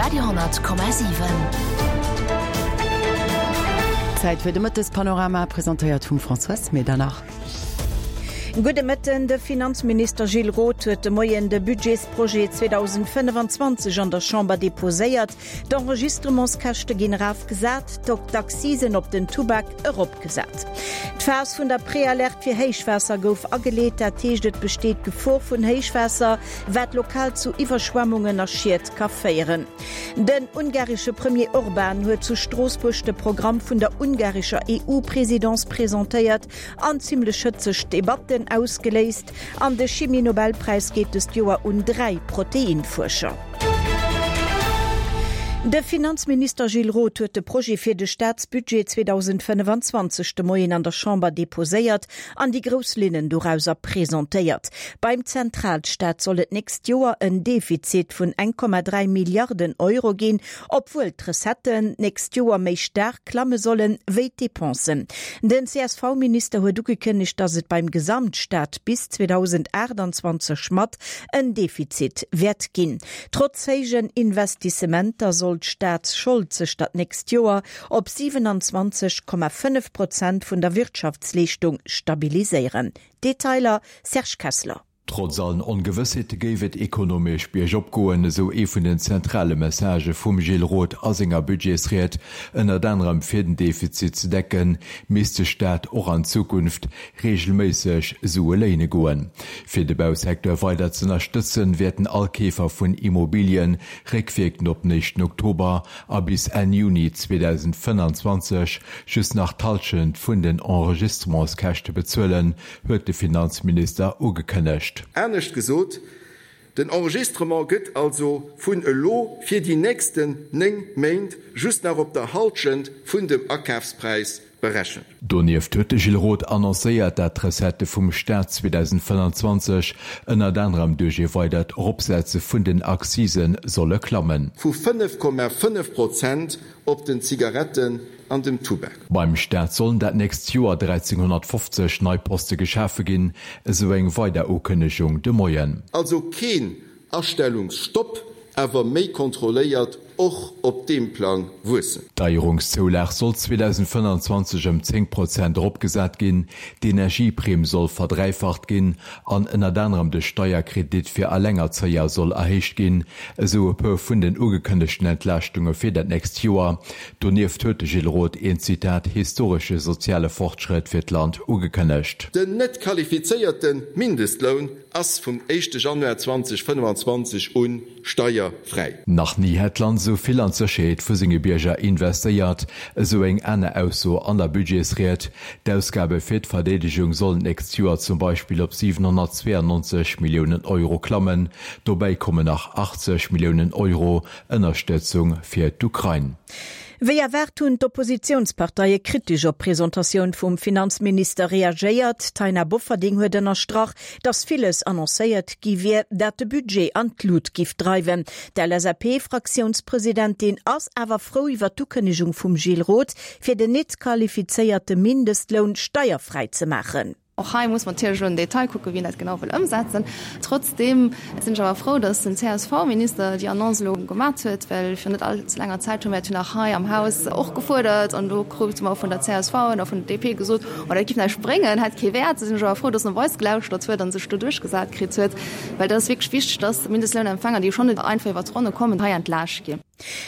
Radio,7. Zäit fir de Mëttespanorama, presentéiert vum Françoise Medernach. Gudde Mëtten. De Finanzminister Gilles Roth huet de Moien de Budgetsprojet 2025 an der Chamber deposéiert. D'Enregistrementskäschte ginn erafgesat, d'Accisen op den Tubak eropgesat. D'Phas vun der Prealerte fir Héichwaasser gouf ageleet, dat heescht et besteet d'Gefor vun Héichwaasser, wat lokal zu Iwwerschwemmungen a Schied ka féieren. Den ungaresche Premier Orban huet zu Stroossbuerg de Programm vun der ungarescher EU-Presidence presentéiert an zimmlech hëtzeg Debatten ausgeléist. An de Chimie-Nobelpräis geet dëst Joer un 3 Proteinfuerscher. De Finanzminister Gilles Roth huet de Projet fir de Staatsbudget 2025 de Moien an der Chamber deposéiert an déi grouss Linnen dorauser presentéiert. Beim Zentralstaat soll et d'nächst Joer en Defizit vun 1,3 Milliarden Euro ginn, obwuel d'Recetten d'nächst Joer méi staark klamme sollen, wéi d'Depensen. Den CSV-Minister huet ugekënnegt, datt et beim Gesamtstaat bis 2028 mat en Defizit wäert ginn. Trotz héijen Investissementer soll d'Staatsschold sech dat nächst Joer op 27,5 Prozent vun der Wirtschaftsleeschtung stabiliséieren. Detailer Serge Kessler. Trotz allen Ongewëssheete géif et ekonomesch biergop goen, esou ee vun den zentrale Messagë vum Gilles Roth a senger Budgetsried. Ënnert anerem fir den Defizit ze decken, misst de Staat och an Zukunft reegelméisseg Sue léine goen. Fir de Bausecteur weider z'ënnerstëtzen, wäerten all Keefer vun Immobilien réckwierkend op den éischten Oktober a bis Enn Juni 2025 just nach d'Hallschent vun den Enregistrementskäschte bezuelen, huet de Finanzminister ugekënnegt. Anescht gesot, den Enregistrement gëtt also vun elo fir déi nächsten 9 Méint just nach op der Halschent vun dem Akafspräis berechent. Donieft huet de Gilles Roth annoncéiert, dat d'Recettë vum Staat 2025 ënnert anerem duerch ee weidert Eropsetze vun den Accisen solle klammen. Vu 5,5 Prozent op den Zigaretten an dem Tubak. Beim Staat sollen dat nächst Joer 1.350 nei Poste geschafe ginn, esou eng weider Ukënnegung de Moien. Also keen Astellungsstopp, awer méi kontrolléiert och op deem Plang wuessen. D'Deierungszoulag soll 2025 ëm 10 Prozent eropgesat ginn, d'Energieprimm soll verdräifacht ginn an ënnert anerem de Steierkredit fir Allengerzéier soll erhéicht ginn, esou e puer vun den ugekënnegten Entlaaschtunge fir dat nächst Joer. Donieft huet de Gilles Roth een, Zitat, historesche soziale Fortschrëtt fir d'Land ugekënnegt. Den net qualifizéierte Mindestloun ass vum éischte Januar 2025 u steierfräi. Nach ni hätt d'Land esou vill an d'Sécherheet vu senge Bierger investéiert, esou eng aner Ausso an der Budgetsried. D'Ausgabe fir d'Verdeedegung sollen d'nächst Joer zum Beispill op 792 Milliounen Euro klammen. Dobäi kommen nach 80 Milliounen Euro Ënnerstëtzung fir d'Ukrain. Wéi erwaart hunn d'Oppositiounsparteie kritesch op d'Presentatioun vum Finanzminister reagéiert. D'Taina Bofferding huet ënnerstrach, datt villes annoncéiert gi wier, dat de Budget an d'Lut giff dreiwen. D'LSAP-Fraktiounspresidentin ass awer frou iwwer d'Ukënnegung vum Gilles Roth, fir den net qualifizéierte Mindestloun steierfräi ze maachen. Och hei muss mer natierlech elo am Detail kucken, wien dat genau wëll ëmsetzen. Trotzdeem sinn ech awer frou, dass den CSV-Minister déi Annonce elo gemat huet, well virun net all ze laanger Zäit hu mir dat jo nach hei am Haus och gefuerdert an do krute mer vun der csv an och vun der DP gesot, oh dat giff näischt bréngen, hätt kee Wäert. Da sinn ech awer frou, dass en op eis gelauschtert huet a sech do duerchgesat kritt huet, well dat ass wierklech wichteg, dass Mindestlounempfänger, déi schonn net einfach iwwert d'Ronne kommen, hei entlaascht ginn.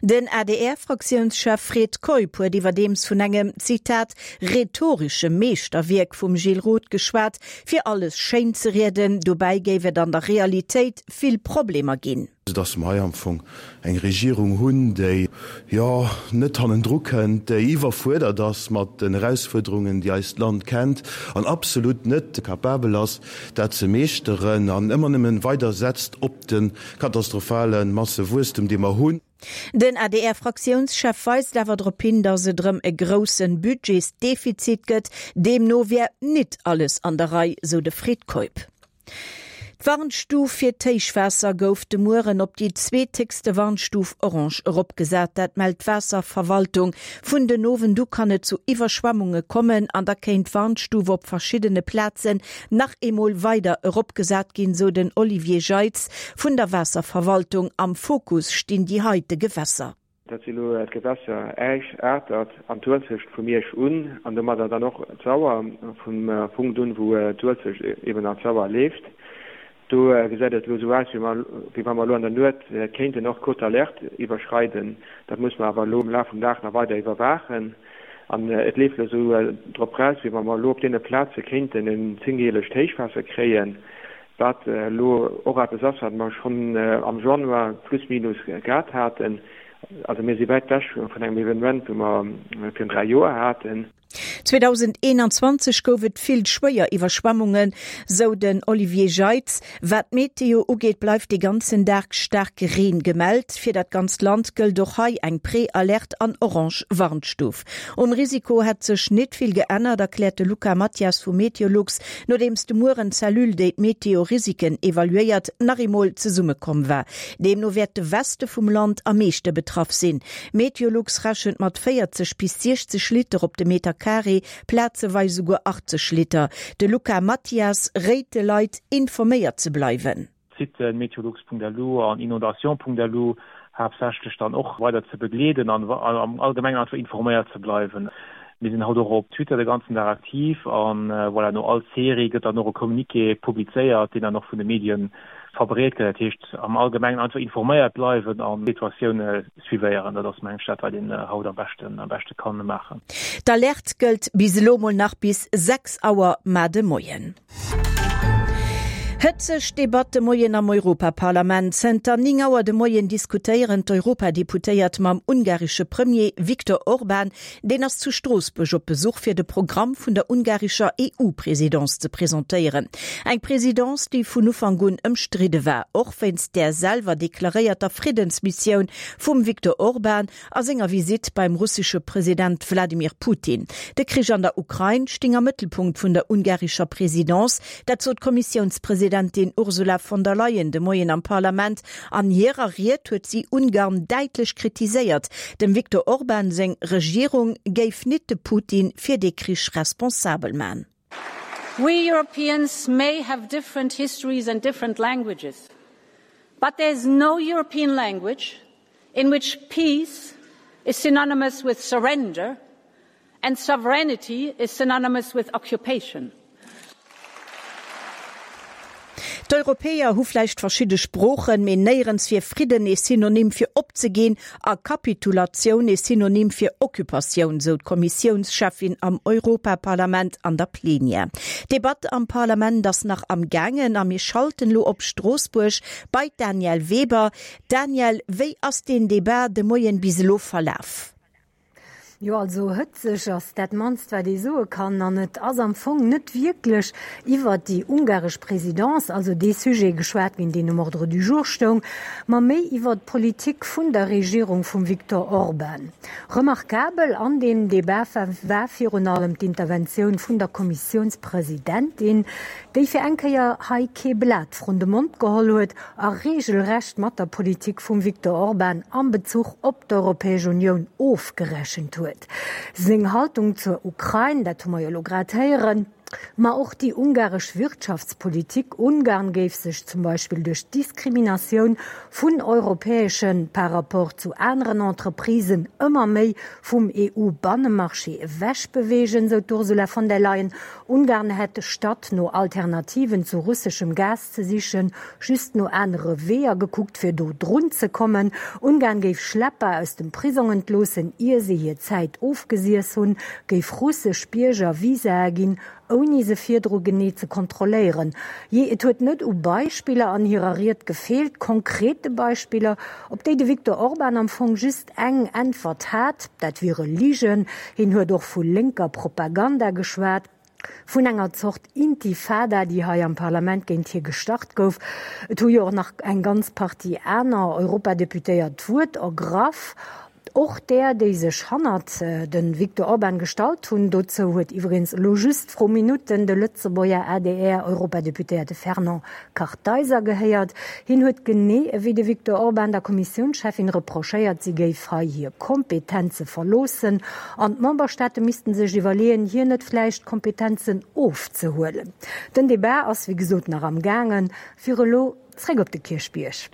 Den ADR-Fraktiounschef Fred Keup huet iwwerdeems vun engem, Zitat, rhetoresche Meeschterwierk vum Gilles Roth geschwat, fir alles schéin ze rieden. Dobäi géif et an der Realitéit vill Problemer ginn. Dass mer hei am Fong eng Regierung hunn, déi, jo, net hannendru kënnt, déi iwwerfuerdert ass mat den Erausfuerderungen, déi eist Land kennt, an absolut net capabel ass, dat ze meeschteren an ëmmer nëmmen weider setzt op de Katastrophale Massewuesstem, dee mer hunn. Den ADR-Fraktiounschef weist awer drop hin, datt et erëm e grousse Budgetsdefizit gëtt. Deemno wär nit alles an der Rei, sou de Fred Keup. D'Warnstuf fir d'Héichwaasser gouf de Mueren op déi zweethéchste Warnstuf Orange eropgesat. Dat mellt d'Waasserverwaltung. Vun den Owend u kann et zu Iwwerschwemmunge kommen an da kéint d'Warnstuf op verschiddene Plazen nach eemol weider eropgesat ginn, sou den Olivier Jeitz vun der Waasserverwaltung. Am Fokus stinn déi heite Gewässer. Dat si elo d'Gewässer Äisch, Atert an d'Uelzecht vu Miersch un an domadder dann och d'Sauer vum Punkt un, wou d'Uelzecht eben an d'Sauer leeft. Do gesäit et elo esou aus, wéi wa mer elo an der Nuet kéinten och d'Cote d'alerte iwwerschreiden. Dat muss mer awer elo am Laf vum Dag nach weider iwwerwaachen. An et leeft elo esou drop raus, wéi wa mer elo op deene Plaze kéinten en zéngjährlecht Héichwaasser kréien, wat elo och eppes ass, wat mer schonn am Januar plus minus gehat haten. Also mir si wäit wech vun engem Evenement, wou mer virun 3 Joer haten. 2021 gouf et vill schwéier Iwwerschwemmungen, sou den Olivier Jeitz. Wat d'Meteo ugeet, bleift de ganzen Dag staarke Reen gemellt. Fir dat ganzt Land gëllt och hei eng Pré-Alerte an orange Warnstuf. Um Risiko hätt sech net vill geännert, erkläert de Luca Mathias vu Meteolux, nodeems de Mueren d'Cellule, déi d'Meteo-Risiken evaluéiert, nach eemol zesummekomm war. Deemno wäert de Weste vum Land am meeschte betraff sinn. Meteolux rechent mat 40 bis 60 Liter op de Meter Carré, plazeweis esouguer 80 Liter. De Luca Mathias réit de Leit, informéiert ze bleiwen. D'Sitten meteolux.lu an inondation.lu haaptsächlech dann och weider ze begleeden an am Allgemengen einfach informéiert ze bleiwen. Mir sinn haut och op Twitter de ganzen Dag aktiv an voilà, no all Serie gëtt dann och e Communiqué publizéiert, deen dann och vun de Medien verbreet gëtt. Dat heescht am Allgemengen einfach informéiert bleiwen an d'Situatioun suivéieren. Dat ass mengen ech dat wat een haut am beschten am beschte kann maachen. D'Alerte gëllt bis elo mol nach bis 6 Auer mar de Moien. Hëtzeg Debatt de Moien am Europaparlament. Zënter 9 Auer de Moien diskutéieren d'Europadeputéiert mam ungaresche Premier Viktor Orban. Deen ass zu Stroossbuerg op Besuch fir de Programm vun der ungarescher EU-Presidence ze presentéieren. Eng Presidence, déi vun Ufank un ëmstridde war, och wéinst där selwer deklaréierter Friddensmissioun vum Viktor Orban a senger Visitt beim russesche President Wladimir Putin. De Krich an der Ukrain sting am Mëttelpunkt vun der ungarescher Presidence. Dat sot d'Kommissiounspresidentin Ursula von der Leyen de Moien am Parlament. An hirer Ried huet si Ungarn däitlech kritiséiert. Dem Viktor Orban seng Regierung géif nit de Putin fir dee Krich responsabel man. We Europeans may have different histories and different languages, but there is no European language in which peace is synonymous with surrender and sovereignty is synonymous with occupation. D'Europäer hu vläicht verschidde Sproochen, mee néierens wier Fridden ee Synonym fir opzeginn a Kapitulatioun ee Synonym fir Occupatioun, sou d'Kommissiounscheffin am Europaparlament an der Plenière. D'Debatt am Parlament ass nach am gaangen a mir schalten elo op Stroossbuerg bei d'Danièle Weber. Danièle, wéi ass deen Debat de Moien bis elo verlaf? Jo, also hëtzeg ass dat mannst wat ee soe kann. An et ass am Fong net wierklech iwwert déi ungaresch Présidence, also dee Sujet geschwat ginn, deen um Ordre du jour stoung, ma méi iwwert d'Politik vun der Regierung vum Viktor Orban. Remarkabel an deem Debat war virun allem d'Interventioun vun der Kommissiounspresidentin, déi fir eng Kéier hei kee Blat vrun de Mond geholl huet a regelrecht mat der Politik vum Viktor Orban am Bezuch op d'Europäesch Unioun ofgerechent huet. Seng Haltung zur Ukrain, dat hu mer jo elo grad héieren, ma och déi ungaresch Wirtschaftspolitik, Ungarn géif sech zum Beispill duerch d'Diskriminatioun vun europäesche par rapport zu aneren Entreprisen ëmmer méi vum EU-Bannemarché ewechbeweegen, sou d'Ursula von der Leyen. Ungarn hätt, statt no Alternativen zu russeschem Gas ze sichen, just no anere Weeër gekuckt, fir do drun ze kommen. Ungarn géif Schlepper aus dem Prisong entloossen, ier se hir Zäit ofgesiess hunn, géif russesch Bierger Visae ginn, ouni se virdru genee ze kontrolléieren. Jee, et huet net u Beispiller an hirer Ried gefeelt, konkrete Beispiller, op déi de Viktor Orban am Fong just eng Äntwert hat, dat wiere Ligen. Hien huet och vu lénker Propaganda geschwat. Vun enger Zort Intifada, déi hei am Parlament géint hie gestart gouf. Et hu jo och nach eng ganz Partie aner Europadeputéiert d'Wuert ergraff. Och där, déi sech hannert de Viktor Orban gestallt hunn. Dozou huet iwwregens elo just vru Minutten de Lëtzebuerger ADR-Europadeputéierte Fernand Kartheiser gehéiert. Hien huet genee ewéi de Viktor Orban der Kommissiounscheffin reprochéiert, si géif hei hir Kompetenze verloossen an d'Memberstaate missten sech iwwerleeën, hir net vläicht Kompetenzen ofzehuelen. Den Debat ass wéi gesot nach am gaangen. Fir elo zréck op de Kierchbierg.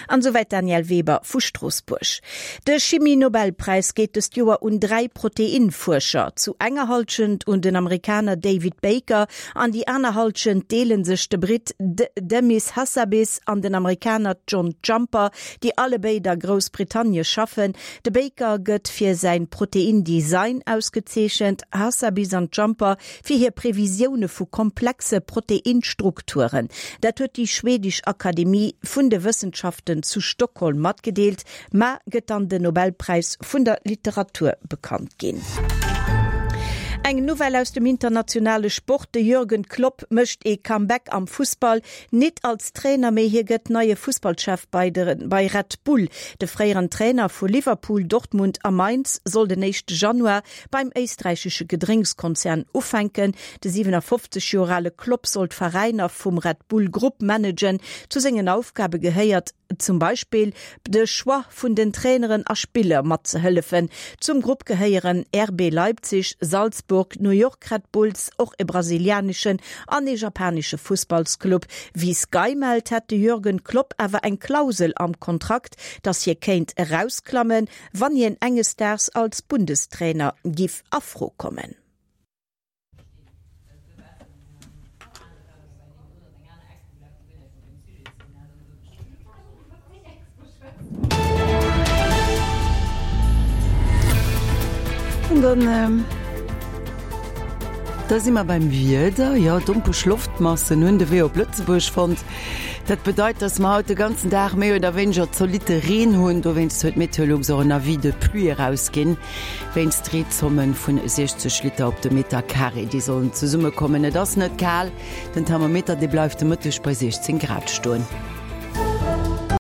An esouwäit d'Danièle Weber vu Stroossbuerg. De Chimie-Nobelpräis geet dëst Joer un 3 Proteinfuerscher. Zu enger Hallschent un den Amerikaner David Baker an déi aner Hallschent deele sech de Britt Demis Hassabis an den Amerikaner John Jumper, déi allebéid a Groussbritannie schaffen. De Baker gëtt fir säin Protein-Design ausgezeechent, Hassabis an Jumper fir hir Previsioune vu komplexe Proteinstrukturen. Dat huet déi schwedesch Akademie vun de Wëssenschaften zu Stockholm matgedeelt. Mar gëtt dann den Nobelpräis vun der Literatur bekannt ginn. Eng Nouvelle aus dem internationale Sport, De Jürgen Klopp mécht ee Comeback am Fussball. Nit als Trainer, mee hie gëtt neie Fussballchef bei de bei Red Bull. De fréieren Trainer vu Liverpool, Dortmund a Mainz soll den éischte Januar beim éisträichesche Gedrénkskonzern ufänken. De 57 Joer ale Klopp soll d'Veräiner vum Red Bull Grupp managen. Zu sengen Aufgabe gehéiert zum Beispill de Choix vun den Traineren a Spiller matzehëllefen. Zum Grupp gehéieren RB Leipzig, Salzburg, New York Red Bulls, och e brasilianeschen an e japanesche Fussballsclub. Wéi Sky mellt, hätt de Jürgen Klopp awer eng Klausel am Kontrakt, datt hie kéint erausklammen, wann hien enges Daags als Bundestrainer giff a Fro kommen. An dann, da si mer beim Wieder. Jo, dompeg Loftmassen hunn de Wee op Lëtzebuerg fonnt. Dat bedeit, dass mer haut de ganzen Dag méi oder wéineger zolitte Reen hunn. Dowéinst huet Meteolux och en Avis de pluie erausginn, wéinst Reezommen vun 60 Liter op de Meter Carré, déi sollen zesummekommen. Et ass net kal, den Thermometer, dee bleift de Mëtteg bei 16 Grad stoen.